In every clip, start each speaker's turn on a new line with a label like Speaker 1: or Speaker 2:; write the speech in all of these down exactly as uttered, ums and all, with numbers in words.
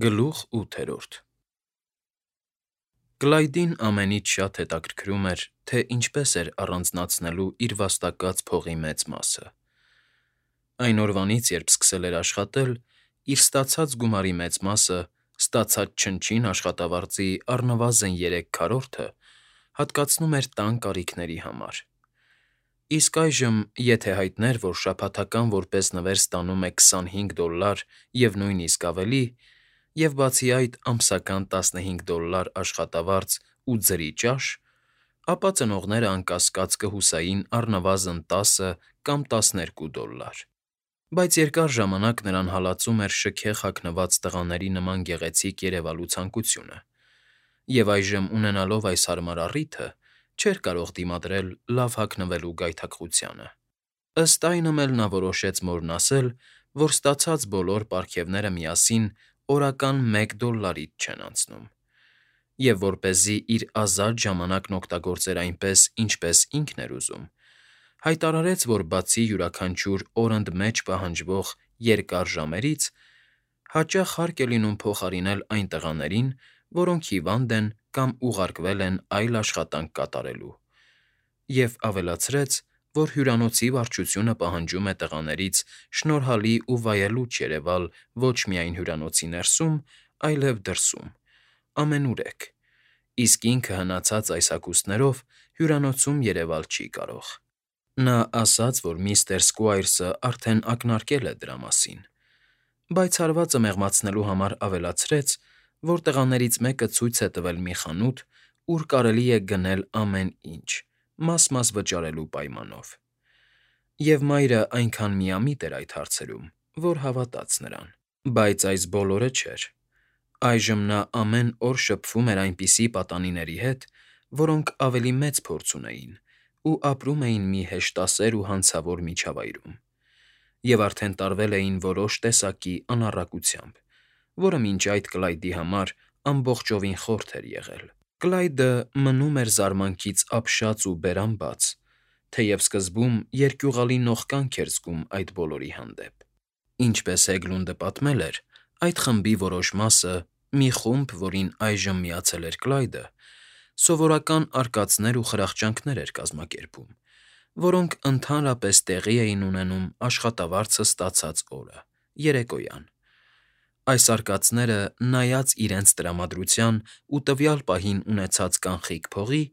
Speaker 1: Գլուխ ութերորդ Կլայդին ամենից շատ հետաքրքրում էր, թե ինչպես էր առանձնացնելու իր վաստակած փողի մեծ մասը. այն օրվանից, երբ սկսել էր աշխատել, իր ստացած գումարի մեծ մասը, ստացած չնչին աշխատավարձի առնվազն երեք քառորդը հատկացնում էր տան կարիքների համար, իսկ այժմ, եթե հայտներ, որ շաբաթական որպես նվեր ստանում է քսանհինգ դոլլար և նույնիսկ ավելի, և բացի այդ ամսական տասնհինգ դոլլար աշխատավարձ ու ձրի ճաշ, ապա ծնողները անկասկած կհուսային առնվազն տասը կամ տասներկու դոլլար, բայց երկար ժամանակ նրան հալածում էր շքեղ հագնված տղաների նման գեղեցիկ երևալու ցանկությունը, և այժմ ունենալով այս հարմար առիթը, չէր կարող դիմադրել լավ հագնվելու գայթակղությանը, ըստ այնմ էլ նա որոշեց մորն ասել, որ ստացած բոլոր պարգևները միասին օրական մեկ դոլլարից չեն անցնում, և որպեսզի իր ազատ ժամանակն օգտագործեր այնպես, ինչպես ինքն էր ուզում, հայտարարեց, որ բացի յուրաքանչյուր օր ընդ մեջ պահանջվող երկար ժամերից, հաճախ հարկ է լինում փոխարինել այն տղաներին, որոնք հիվանդ են կամ ուղարկվել են այլ աշխատանք կատարելու, և ավելացրեց, որ հյուրանոցի վարչությունը պահանջում է տղաներից շնորհալի ու վայելուչ երևալ ոչ միայն հյուրանոցի ներսում, այլև դրսում, ամենուրեք, իսկ ինքը հնացած այս հագուստներով հյուրանոցում երևալ չի կարող. Նա ասաց, որ միստր Սքվայրսը արդեն ակնարկել է դրա մասին, բայց հարվածը մեղմացնելու համար ավելացրեց, որ տղաներից մեկը ցույց է տվել մի խանութ, ուր կարելի է գնել ամեն ինչ, մաս֊մաս վճարելու պայմանով, և մայրը այնքան միամիտ էր այդ հարցերում, որ հավատաց նրան, բայց այս բոլորը չէր. այժմ նա ամեն օր շփվում էր այնպիսի պատանիների հետ, որոնք ավելի մեծ փորձ ունեին ու ապրում էին մի հեշտասեր ու հանցավոր միջավայրում, և արդեն տարվել էին որոշ տեսակի անառակությամբ, որը մինչ այդ Կլայդի համար ամբողջովին խորթ էր եղել. Կլայդը մնում էր զարմանքից ապշած ու բերամբաց, թեև սկզբում երկյուղալի նողկանք էր զգում այդ բոլորի հանդեպ. Ինչպես Հեգլունդը պատմել էր, այդ խմբի որոշ մասը, մի խումբ, որին այժմ միացել էր Կլայդը, սովորական արկածներ ու խրախճանքներ էր կազմակերպում, որոնք ընդհանրապես տեղի էին ունենում աշխատավարձը ստացած օրը, երեկոյան. Այս արկածները, նայած իրենց տրամադրության ու տվյալ պահին ունեցած կանխիկ փողի,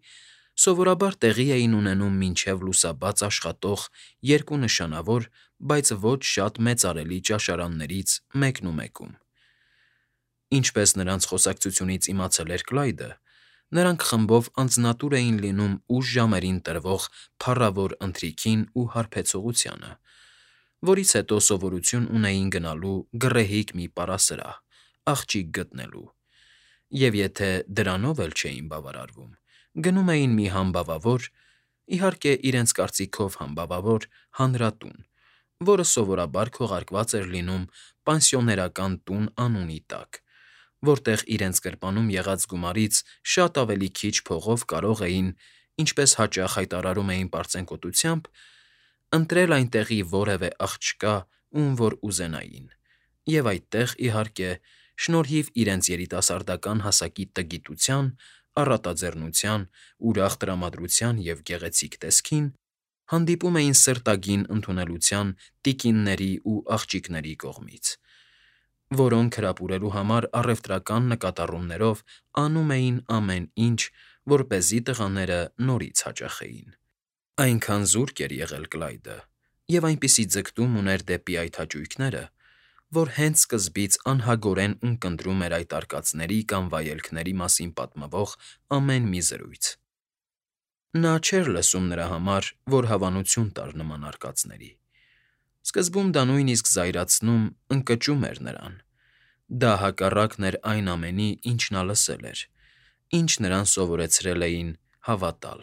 Speaker 1: սովորաբար տեղի էին ունենում մինչև լուսաբաց աշխատող երկու նշանավոր, բայց ոչ շատ մեծարելի ճաշարաններից մեկնումեկում. Ինչպես նրանց խոսակցությունից իմացել էր Կլայդը, նրանք խմբով անձնատուր էին լինում ուշ ժամերին տրվող փառավոր ընթրիքին ու հարբեցողությանը, որից հետո սովորություն ունեին գնալու գռեհիկ մի պարասրահ, աղջիկ գտնելու, և եթե դրանով էլ չէին բավարարվում, գնում էին մի համբավավոր, իհարկե իրենց կարծիքով համբավավոր հանրատուն, որը սովորաբար քողարկված էր լինում պանսիոներական տուն անունի տակ, որտեղ իրենց գրպանում եղած գումարից շատ ավելի քիչ փողով կարող էին, ինչպես հաճախ հայտարարում էին պարծենկոտությամբ, ընտրել այնտեղի որևէ աղջկա, ում որ ուզենային, և այդտեղ, իհարկե, շնորհիվ իրենց երիտասարդական հասակի տգիտության, առատաձեռնության, ուրախ տրամադրության և գեղեցիկ տեսքին, հանդիպում էին սրտագին ընդունելության տիկինների ու աղջիկների կողմից, որոնք հրապուրելու համար առևտրական նկատառումներով անում էին ամեն ինչ, որպեսզի տղաները նորից հաճախեին. Այնքան զուրկ էր եղել Կլայդը և այնպիսի ձգտում ուներ դեպի այդ հաճույքները, որ հենց սկզբից անհագորեն ունկնդրում էր այդ արկածների կամ վայելքների մասին պատմվող ամեն մի զրույց. Նա չէր լսում նրա համար, որ հավանություն տար նման արկածների. սկզբում դա նույնիսկ զայրացնում, ընկճում էր նրան, դա հակառակն էր այն ամենի, ինչ նա լսել էր, ինչ նրան սովորեցրել էին հավատալ.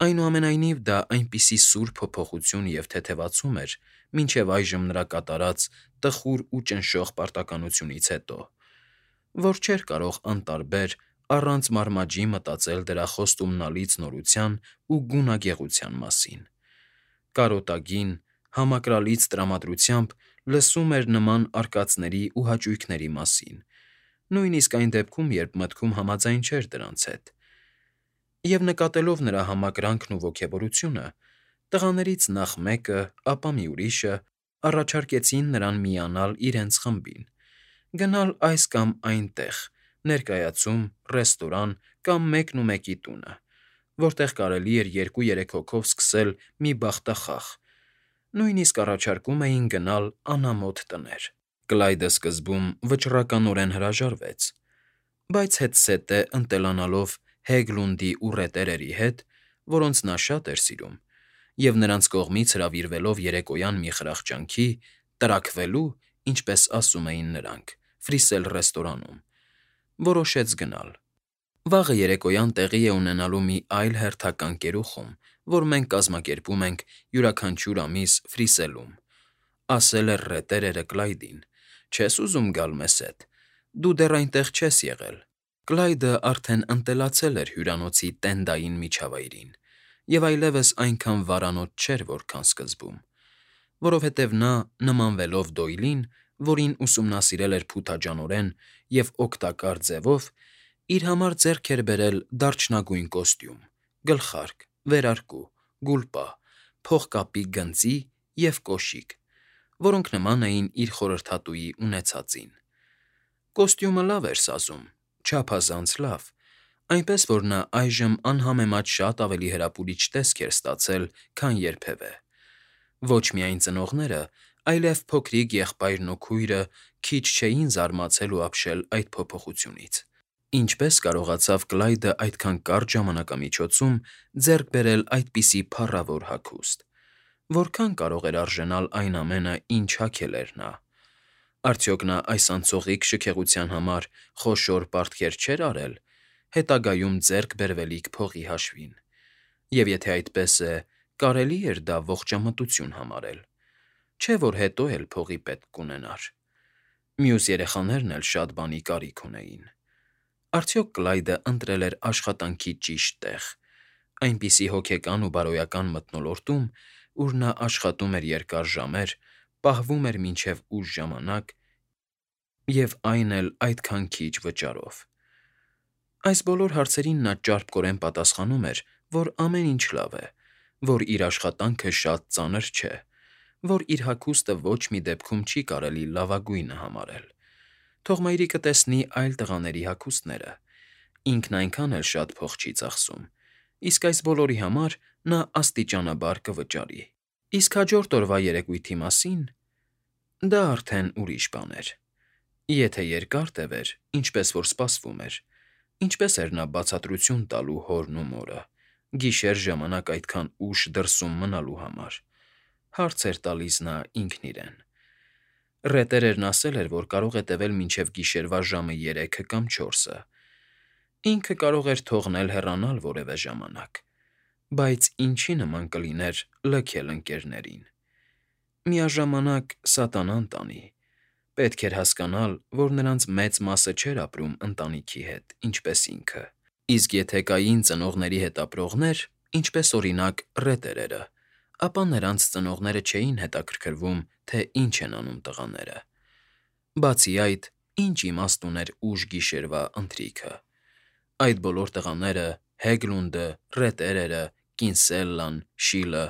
Speaker 1: Այնուամենայնիվ, դա այնպիսի սուր փոփոխություն և թեթևացում էր մինչև այժմ նրա կատարած տխուր ու ճնշող պարտականությունից հետո, որ չէր կարող անտարբեր, առանց մարմաջի մտածել դրա խոստումնալից նորության ու գունագեղության մասին, կարոտագին, համակրալից տրամադրությամբ լսում էր նման արկածների ու հաճույքների մասին, նույնիսկ այն դեպքում, երբ մտքում համաձայն չէր դրանց հետ։ Եվ նկատելով նրա համակրանքն ու ոգևորությունը, տղաներից նախ մեկը, ապա մի ուրիշը առաջարկեցին նրան միանալ իրենց խմբին, գնալ այս կամ այն տեղ, ներկայացում, ռեստորան կամ մեկնումեկի տունը, որտեղ կարելի էր երկու֊երեք հոգով սկսել մի բախտախաղ, նույնիսկ առաջարկում էին գնալ անամոթ տներ։ Կլայդը սկզբում վճռականորեն հրաժարվեց, բայց հետզհետե ընտելանալով Հեգլունդի ու ռետերերի հետ, որոնց նա շատ էր սիրում, և նրանց կողմից հրավիրվելով երեկոյան մի խրախճանքի, տրաքվելու, ինչպես ասում էին նրանք, ֆրիսել ռեստորանում, որոշեց գնալ։ Վաղը երեկոյան տեղի է ունենալու մի այլ հերթական կերուխում, որ մենք կազմակերպում ենք յուրաքանչյուր ամիս Ֆրիսելում,֊ ասել էր ռետերերը Կլայդին։ Չես ուզում գալ մեզ հետ, դու դեռ այնտեղ չես եղել։ Կլայդը արդեն ընտելացել էր հյուրանոցի տենդային միջավայրին և այլևս այնքան վարանոց չէր, որքան սկզբում, որովհետև նա, նմանվելով Դոյլին, որին ուսումնասիրել էր փութաջանորեն և օգտակար ձևով, իր համար ձեռք էր բերել դարչնագույն կոստյում, գլխարկ, վերարկու, գուլպա, փողկապի գծի և կոշիկ, որոնք նման էին իր խորհրդատուի ունեցածին։ Կոստյումը լավ էր սազում, չափազանց լավ, այնպես որ նա այժմ անհամեմատ շատ ավելի հրապուրիչ տեսք էր ստացել, քան երբևէ։ Ոչ միայն ծնողները, այլև փոքրիկ եղբայրն ու քույրը քիչ չէին զարմացել ու ապշել այդ փոփոխությունից։ Ինչպե՞ս կարողացավ Կլայդը այդքան կարճ ժամանակամիջոցում ձեռք բերել այդպիսի փառավոր հագուստ։ Որքա՞ն կարող էր արժենալ այն ամենը, ինչ հագել էր նա։ Արդյոք նա այս անցողիկ շքեղության համար խոշոր պարտքեր չէր արել, հետագայում ձեռք բերվելիք փողի հաշվին։ Եվ եթե այդպես է, կարելի՞ էր դա ողջամտություն համարել։ Չէ՞ որ հետո էլ փողի պետք կունենար։ Մյուս երեխաներն էլ շատ բանի կարիք ունեին։ Արդյոք Կլայդը ընտրել էր աշխատանքի ճիշտ տեղ, այնպիսի հոգեկան ու բարոյական մթնոլորտում, ուր նա աշխատում էր երկար ժամեր, պահվում էր մինչև ուշ ժամանակ և այն էլ այդքան քիչ վճարով։ Այս բոլոր հարցերին նա ճարպկորեն պատասխանում էր, որ ամեն ինչ լավ է, որ իր աշխատանքը շատ ծանր չէ, որ իր հագուստը ոչ մի դեպքում չի կարելի լավագույնը համարել։ Թող մայրիկը տեսնի այլ տղաների հագուստները, ինքն այնքան էլ շատ փող չի ծախսում, իսկ այս բոլորի համար նա աստիճանաբար կվճարի։ Իսկ հաջորդ օրվա երեկույթի մասին… դա արդեն ուրիշ բան էր։ Եթե երկար տևեր, ինչպես որ սպասվում էր, ինչպե՞ս էր նա բացատրություն տալու հորն ու մորը, գիշեր ժամանակ այդքան ուշ դրսում մնալու համար, հարց էր տալիս նա ինքն իրեն։ Ռետերերն ասել էր, որ կարող է տևել մինչև գիշերվա ժամը երեքը կամ չորսը։ Ինքը կարող էր թողնել հեռանալ որևէ ժամանակ, բայց ինչի նման կլիներ լքել ընկերներին։ Միաժամանակ սատանան տանի։ Պետք էր հասկանալ, որ նրանց մեծ մասը չէր ապրում ընտանիքի հետ, ինչպես ինքը, իսկ եթե կային ծնողների հետ ապրողներ, ինչպես օրինակ ռետերերը, ապա նրանց ծնողները չէին հետաքրքրվում, թե ինչ են անում տղաները։ Բացի այդ, ինչ իմաստ ուներ ուշ գիշերվա ընթրիքը։ Այդ բոլոր տղաները՝ Հեգլունդը, ռետերերը, Կինսելլան, Շիլը,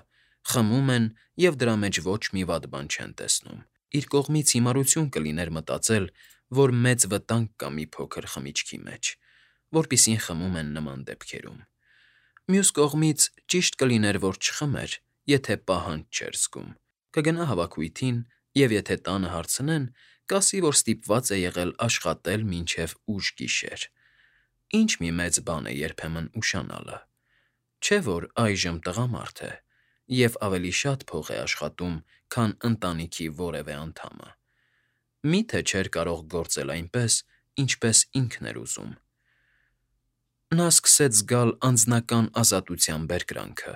Speaker 1: խմում են և դրա մեջ ոչ մի վատ բան չեն տեսնում։ Իր կողմից հիմարություն կլիներ մտածել, որ մեծ վտանգ կա մի փոքր խմիչքի մեջ, որպիսին խմում են նման դեպքերում։ Մյուս կողմից, ճիշտ կլիներ, որ չխմեր, եթե պահանջ չէր զգում, կգնա հավաքույթին և եթե տանը հարցնեն, կասի, որ ստիպված է եղել աշխատել մինչև ուշ գիշեր։ Ինչ մի մեծ բան է երբեմն ուշանալը։ Չէ՞ որ այժմ տղամարդ է և ավելի շատ փող է աշխատում, քան ընտանիքի որևէ անդամը։ Մի՞թե չէր կարող գործել այնպես, ինչպես ինքն էր ուզում։ Նա սկսեց զգալ անձնական ազատության բերկրանքը,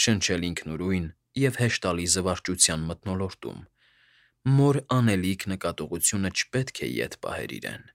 Speaker 1: շնչել ինքնուրույն և հեշտալի զվարճության մթնոլորտում։ Մոր անելիք նկատողությունը չպետք է ետ պահեր իրեն։